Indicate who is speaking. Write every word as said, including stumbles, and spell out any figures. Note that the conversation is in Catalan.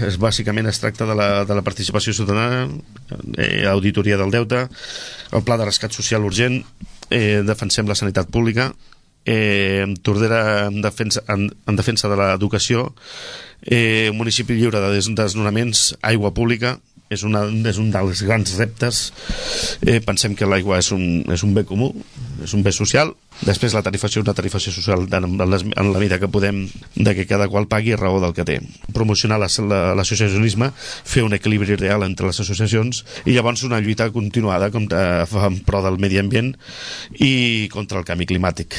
Speaker 1: Es, bàsicament es tracta de la, de la participació ciutadana, eh, auditoria del deute, el pla de rescat social urgent, eh, defensem la sanitat pública, eh, Tordera en defensa, en, en defensa de l'educació, eh, un municipi lliure de des, desnonaments, aigua pública. És, una, és un dels grans reptes. Eh, pensem que l'aigua és, un, és un bé comú, és un bé social. Després la tarifació, una tarifació social en, les, en la mida que podem, de que cada qual pagui a raó del que té. Promocionar l'associacionisme, fer un equilibri real entre les associacions i llavors una lluita continuada contra, en pro del medi ambient i contra el canvi climàtic.